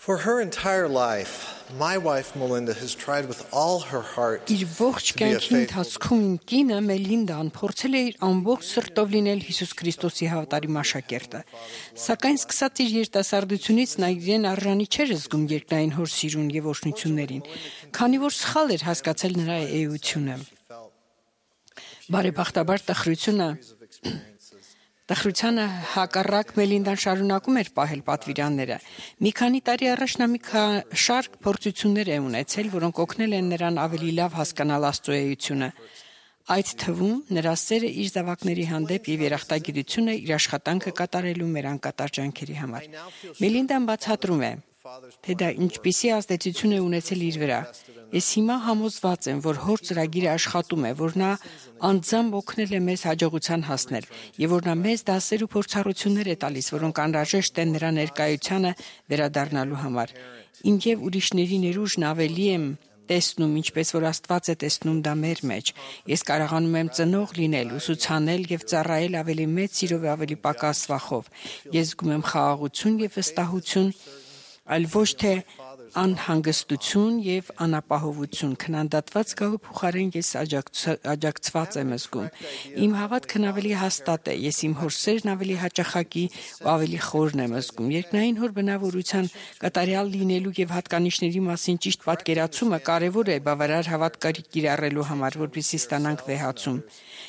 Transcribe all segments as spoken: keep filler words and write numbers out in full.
For her entire life, my wife Melinda has tried with all her heart Իր ողջ to be a կյանքի faithful. ընթացքում իմ կինը Մելինդան փորձել է իր ամբողջ սրտով լինել Հիսուս Քրիստոսի հավատարիմ աշակերտը։ Սակայն սկսած իր երիտասարդությունից նա իրեն արժանի չէր զգում երկնային հոր սիրուն եւ օրհնություններին, քանի որ սխալ էր հասկացել նրա էությունը։ Բարեբախտաբար տխրությունը Տխրությանը հակառակ Մելինդան շարունակում էր պահել պատվիրանները։ Մի քանի տարի առաջ նա մի շարք փորձություններ է ունեցել, որոնք օգնել են նրան ավելի լավ հասկանալ Աստծո էությունը։ Այդ թվում նրա սերը իր զավակների հանդեպ եւ երախտագիտությունը իր աշխատանքը կատարելու մեր անկատար ջանքերի համար։ Մելինդան բացատրում է, թե դա ինչպիսի ազդեցություն է ունեցել իր վրա։ Ես հիմա համոզված եմ, որ հոր ծրագիրը աշխատում է, որ նա անձամբ օգնել է մեզ հաջողության հասնել եւ որ նա մեզ դասեր ու փորձառություններ է տալիս, որոնք անհրաժեշտ են նրա ներկայությանը վերադառնալու համար։ Իմ եւ ուրիշների ներուժն ավելի եմ տեսնում, ինչպես որ Աստված է տեսնում դա մեր մեջ։ Ես կարողանում եմ ծնող լինել, ուսուցանել եւ ծառայել ավելի մեծ սիրով եւ ավելի պակաս վախով։ Ես զգում եմ խաղաղություն եւ վստահություն, այլ ոչ թե անհանգստություն եւ անապահովություն, քննադատված գահու փոխարեն ես աջակցված եմ զգում։ Իմ հավատքն ավելի հաստատ է, ես իմ հոր սերն ավելի հաճախակի ու ավելի խորն եմ զգում։ Երկնային հոր բնավորության կատարյալ լինելու եւ հատկանիշների մասին ճիշտ պատկերացումը կարեւոր է բավարար հավատքարի կիրառելու համար, որպեսզի ստանանք վեհացում։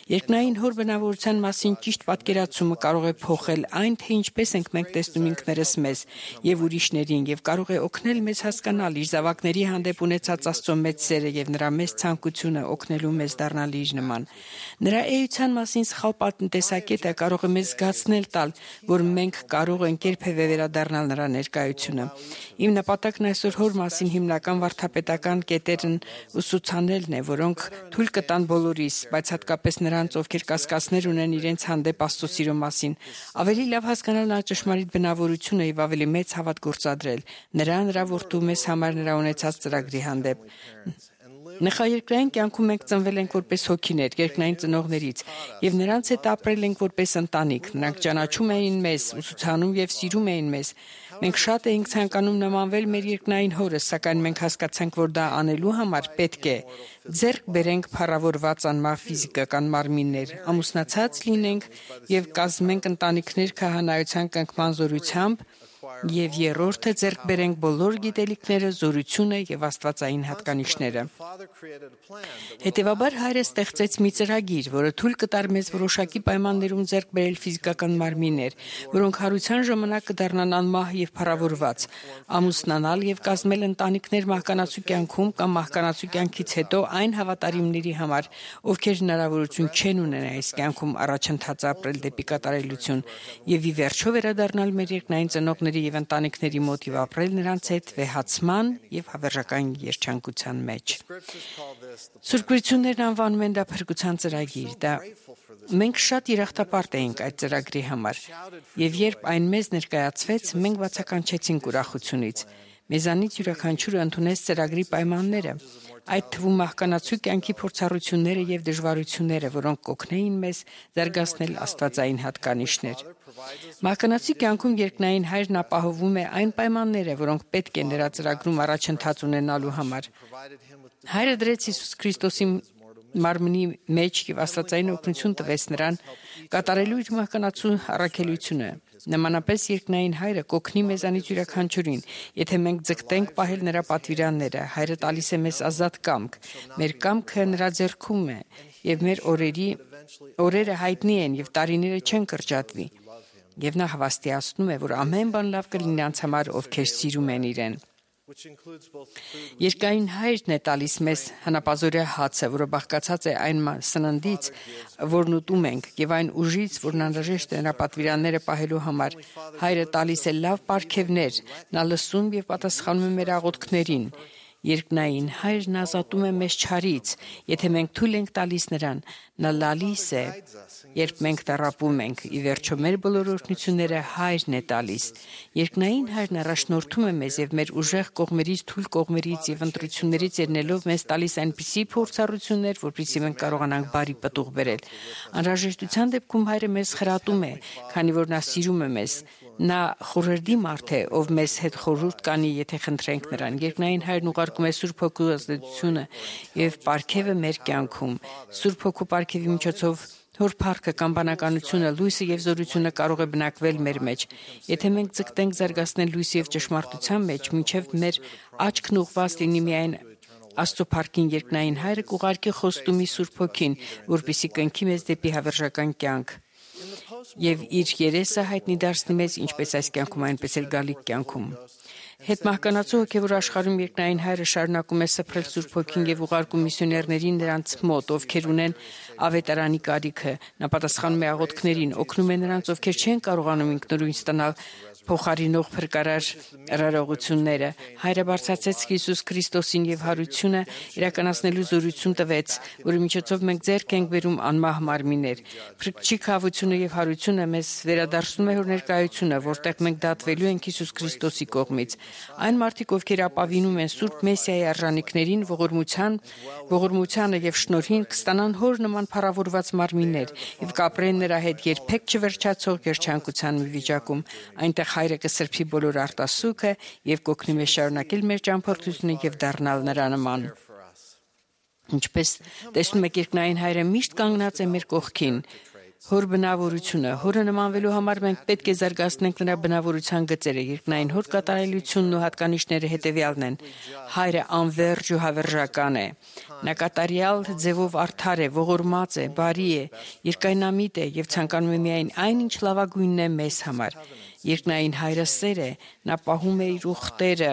Երկնային հոր բնավորության մասին ճիշտ պատկերացումը կարող է փոխել այն, թե ինչպես ենք մենք տեսնում ինքներս մեզ եւ ուրիշներին եւ կարող է օգնել մեզ հասկանալ իր զավակների հանդեպ ունեցած Աստծո մեծ սերը եւ նրա մեծ ցանկությունը օգնելու մեզ դառնալ իր նման։ Նրա էության մասին սխալ պատնտեսակետը կարող է մեզ զգացնել տալ, որ մենք կարող ենք երբևէ վերադառնալ նրա ներկայությունը։ Իմ նպատակն այսօր հոր մասին հիմնական վարդապետական կետերն ուսուցանելն է, որոնք թույլ կտան բոլորիս, բայց հատկապես նրանց, ովքեր կասկածներ ունեն իրենց հանդեպ Աստծո սիրո մասին, ավելի լավ հասկանալ նրա ճշմարիտ բնավորությունը եւ ավելի մեծ հավատ գործադրել նրա նրա որդու մեզ համար նրա ունեցած ծրագրի հանդեպ։ Նախաերկրային կյանքում մենք ծնվել ենք որպես հոգիներ, երկնային ծնողներից, եւ նրանց հետ ապրել ենք որպես ընտանիք։ Նրանք ճանաչում էին մեզ, ուսուցանում եւ սիրում էին մեզ։ Մենք շատ էինք ցանկանում նմանվել մեր երկնային հորը, սակայն մենք հասկացանք, որ դա անելու համար պետք է ձեռք բերենք փառավորված անմար ֆիզիկական մարմիններ, ամուսնացած լինենք եւ կազմենք ընտանիքներ քահանայության կնքման զորությամբ, եւ երրորդը ձեռք բերենք բոլոր գիտելիքները, զորությունը եւ աստվածային հատկանիշները։ Հետևաբար հայրը ստեղծեց մի ծրագիր, որը թույլ կտար մեզ որոշակի պայմաններում ձեռք բերել ֆիզիկական մարմիններ, որոնք հարության ժամանակ կդառնան անմահ եւ փառավորված, ամուսնանալ եւ կազմել ընտանիքներ մահկանացու կյանքում կամ մահկանացու կյանքից հետո այն հավատարիմների համար, ովքեր հնարավորություն չեն ունեն այս կյանքում առաջընթաց ապրել դեպի կատարելություն եւ ի վերջո վերադառնալ մեր երկնային ծնողների եւ ընտանիքների մոտ եւ ապրել նրանց հետ վեհացման եւ հավերժական երջանկության մեջ։ Սուրբ Գրություններն անվանում են դա փրկության ծրագիր։ Դա մենք շատ երախտապարտ էինք այդ ծրագրի համար, եւ երբ այն մեզ ներկայացվեց, մենք բացականչեցինք ուրախությունից։ Մեզանից յուրաքանչյուրը ընդունեց ծրագրի պայմանները, այդ թվում մահկանացու կյանքի փորձառությունները եւ դժվարությունները, որոնք կօգնեին մեզ զարգացնել աստվածային հատկանիշներ։ Մահկանացի կյանքում երկնային հայրն ապահովում է այն պայմանները, որոնք պետք է նրա ծրագրում առաջընթաց ունենալու համար։ Հայրը դրեց Հիսուս Քրիստոսի մարմնի մեջ եւ աստվածային օգնություն տվեց նրան կատարելու իր մահկանացու առաքելությունը։ Նմանապես երկնային հայրը կօգնի մեզանից յուրաքանչյուրին, եթե մենք ձգտենք պահել նրա պատվիրանները։ Հայրը տալիս է մեզ ազատ կամք։ Մեր կամքը նրա ձեռքում է եւ մեր օրերի օրերը հայտնի են եւ տարիները չեն կրճատվի։ Եվ նա հավաստիացնում է, որ ամեն բան լավ կլինի անց համար, ովքեր սիրում են իրեն։ Երկնային հայրն է տալիս մեզ հնապազորյա հացը, որը բաղկացած է այն սննդից, որն ուտում ենք, եւ այն ուժից, որն անհրաժեշտ է նրա պատվիրանները պահելու համար։ Հայրը տալիս է լավ պարգևներ, նա լսում եւ պատասխանում է մեր աղոթքներին։ Երկնային հայրն ազատում է մեզ չարից, եթե մենք թույլ ենք տալիս նրան, նա լալիս է, երբ մենք տառապում ենք, ի վերջո մեր բոլոր օրհնությունները հայրն է տալիս։ Երկնային հայրն առաջնորդում է մեզ եւ մեր ուժեղ կողմերից, թույլ կողմերից եւ ընտրություններից ելնելով մեզ տալիս այնպիսի փորձառություններ, որպեսզի մենք կարողանանք բարի պտուղ բերել։ Անհրաժեշտության դեպքում հայրը մեզ խրատում է, քանի որ նա սիրում է մեզ։ Նա խորհրդի մարդ է, ով մեզ հետ խորհուրդ կանի, եթե խնդրենք նրան։ Երկնային Հայրն ուղարկում է Սուրբ Հոգու ազդեցությունը եւ պարգևը մեր կյանքում։ Սուրբ Հոգու պարգևի միջոցով Հոր փառքը կամ բանականությունը, լույսը եւ զորությունը կարող է բնակվել մեր մեջ։ Եթե մենք ձգտենք զարգացնել լույսի եւ ճշմարտության մեջ, մինչեւ մեր աչքն ուղված լինի միայն Աստծո փառքին, երկնային Հայրը կուղարկի խոստումի Սուրբ Հոգին, որպեսզի կնքի մեզ դեպի հավերժական կյանք եւ իր երեսը հայտնի դարձնի մեզ ինչպես այս կյանքում, այնպես էլ գալիք կյանքում։ Հետմահկանացու հոգևոր աշխարհում երկնային Հայրը շարունակում է սփռել Սուրբ Հոգին եւ ուղարկում միսիոներներին նրանց մոտ, ովքեր ունեն ավետարանի կարիքը։ Նա պատասխանում է աղոթքներին, օգնում է նրանց, ովքեր չեն կարողանում ինքնուրույն ստանալ փոխարինող փրկարար արարողությունները։ Հայրը բարձրացեց Հիսուս Քրիստոսին եւ հարությունը իրականացնելու զորություն տվեց, որի միջոցով մենք ձեռք ենք բերում անմահ մարմիններ։ Փրկչի քավությունը եւ հարությունը մեզ վերադարձնում է Հոր ներկայությունը, որտեղ մենք դատվելու ենք Հիսուս Քրիստոսի կողմից։ Այն մարդիկ, ովքեր ապավինում են Սուրբ Մեսիայի արժանինքներին, ողորմության, ողորմությանը եւ շնորհին, կստանան Հոր նման փառավորված մարմիններ եւ կապրեն նրա հետ երբեք չվերջացող երջանկության մի վիճակում։ Այնտեղ Հայրը կսրբի բոլոր արտասուքը եւ կօգնի մեզ շարունակել մեր ճամփորդությունը եւ դառնալ նրա նման։ Ինչպես տեսնում եք, երկնային Հայրը միշտ կանգնած է մեր կողքին։ Հոր բնավորությունը, Հորը նմանվելու համար մենք պետք է զարգացնենք նրա բնավորության գծերը։ Երկնային Հոր կատարելությունն ու հատկանիշները հետևյալն են։ Հայրը անվերջ ու հավերժական է։ Նա կատարյալ ձևով արդար է, ողորմած է, բարի է, երկայնամիտ է եւ ցանկանում է միայն այն, ինչ լավագույնն է մեզ համար։ Երկնային Հայրը սեր է, նա պահում է իր ուխտերը,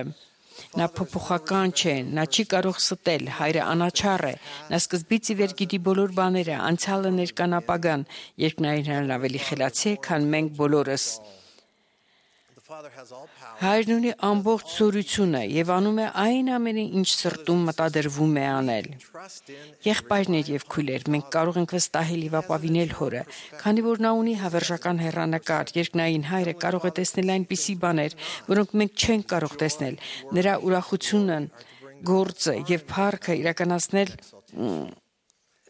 նա փոփոխական չէ, նա չի կարող ստել, Հայրը անաչառ է, նա սկզբից ի վեր գիտի բոլոր բաները, անցյալը, ներկան, ապագան։ Երկնային Հայրն ավելի խելացի է, քան մենք բոլորս։ Հայրն ունի ամբողջ զորությունը եւ անում է այն ամենը, ինչ սրտում մտադրվում է անել։ Եղբայրներ եւ քույրեր, մենք կարող ենք վստահել եւ ապավինել Հորը, քանի որ նա ունի հավերժական հեռանկար։ Երկնային Հայրը կարող է տեսնել այնպիսի բաներ, որոնք մենք չենք կարող տեսնել։ Նրա ուրախությունը, գործը եւ փառքը իրականացնել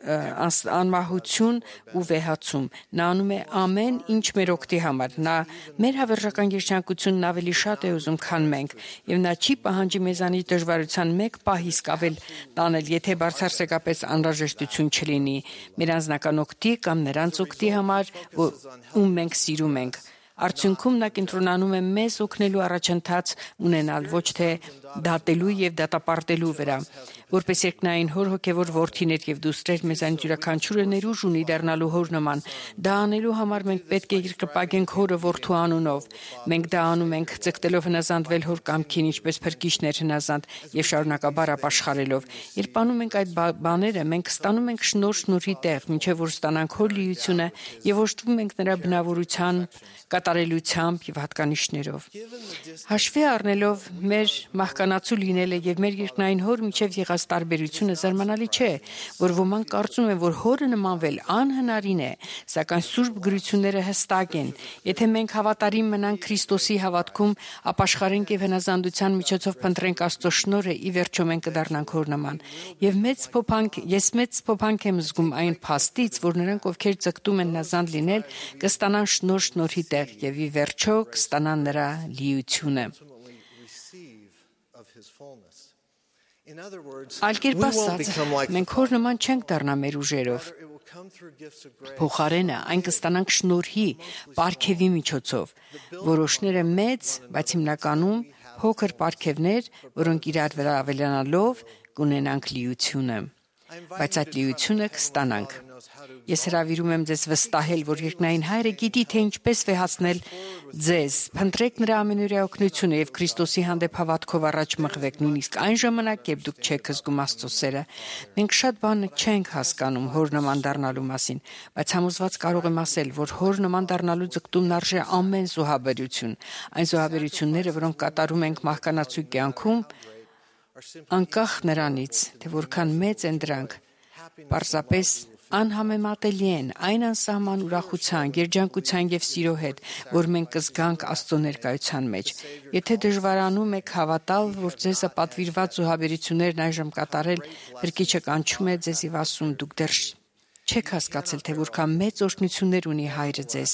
անմահություն ու վեհացում։ Նա անում է ամեն ինչ մեր օգտի համար։ Նա մեր հավերժական երջանկությունն ավելի շատ է ուզում, քան մենք, եւ նա չի պահանջի մեզանից դժվարության մեկ պահ իսկ ավել տանել, եթե բարձրացեկապես անհրաժեշտություն չլինի մեր անձնական օգտի կամ նրանց օգտի համար, ում մենք սիրում ենք։ Արդյունքում նա կենտրոնանում է մեզ օգնելու առաջընթաց ունենալ, ոչ թե դատելու եւ դատապարտելու վրա։ Որպես երկնային Հոր հոգևոր որդիներ եւ դուստրեր, մեզանից յուրաքանչյուրը ներուժ ունի դառնալու Հոր նման։ Դա անելու համար մենք պետք է երկրպագենք Հորը որդու անունով։ Մենք դա անում ենք ցկտելով հնազանդվել Հոր կամքին, ինչպես փրկիչներ հնազանդ եւ շարունակաբար ապաշխարելով։ Երբ անում ենք այդ բաները, մենք ստանում ենք շնորհ շնորհի տեղ, ինչեւ որ ստանանք Հոր լիությունը եւ օժտվում ենք նրա բնավորության, կատարելությամբ եւ հատկանիշներով։ Հաշվի առնելով մեր մահկանացու լինելը եւ մեր երկնային Հոր միջև եղած տարբերությունը զարմանալի չէ, որ ոմանք կարծում են, որ Հորը նմանվել անհնարին է, սակայն Սուրբ գրությունները հստակ են։ Եթե մենք հավատարիմ մնանք Քրիստոսի հավատքում, ապաշխարենք եւ հնազանդության միջոցով փնտրենք Աստծո շնորհը, ի վերջո մենք կդառնանք Հոր նման։ Եվ մեծ փոփանք, ես մեծ փոփանք եմ զգում այն փաստից, որ նրանք, ովքեր ցկտում են հնազանդ լինել, կստանան շնորհ շնորհի տեղ եւ ի վերջո կստանան նրա լիությունը։ Այլ կերպ ասած, մենք Հոր նման չենք դառնա մեր ուժերով։ Փոխարենը այն կստանանք շնորհի, պարգևի միջոցով։ Որոշները մեծ, բայց հիմնականում փոքր պարգևներ, որոնք իրար վրա ավելանալով կունենանք լիությունը։ Բայց այդ լիությունը կստանանք։ Ես հրավիրում եմ ձեզ վստահել, որ երկնային Հայրը գիտի, թե ինչպես վեհացնել ձեզ։ Փնտրեք նրա ամենօրյա օգնությունը եւ Քրիստոսի հանդեպ հավատքով առաջ մղվեք, նույնիսկ այն ժամանակ, երբ դուք չեք զգում Աստծո սերը։ Մենք շատ բան չենք հասկանում Հոր նման դառնալու մասին, բայց համոզված կարող եմ ասել, որ Հոր նման դառնալու ձգտումն արժե ամեն զոհաբերություն։ Այն զոհաբերությունները, որոնք կատարում ենք մահկանացու կյանքում, անկախ նրանից, թե որքան մեծ են դրանք, պարզապես անհամեմատելի են այն անսահման ուրախության, երջանկության եւ սիրո հետ, որ մենք կզգանք Աստծո ներկայության մեջ։ Եթե դժվարանում եք հավատալ, որ ձեզ պատվիրված զոհաբերություններն այժմ կատարել, Փրկիչը կանչում է ձեզ եւ ասում՝ դուք դեռ չեք հասկացել, թե որքան մեծ օրհնություններ ունի Հայրը ձեզ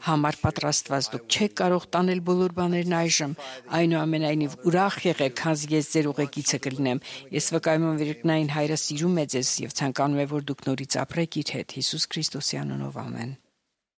համար պատրաստված։ Դուք չեք կարող տանել բոլոր բաներն այժմ, այնուամենայնիվ ուրախ եղեք, քանզի ես ձեր ուղեկիցը կլինեմ։ Ես վկայում եմ, որ երկնային Հայրը սիրում է ձեզ եւ ցանկանում է, որ դուք նորից ապրեք իր հետ։ Հիսուս Քրիստոսի անունով ամեն։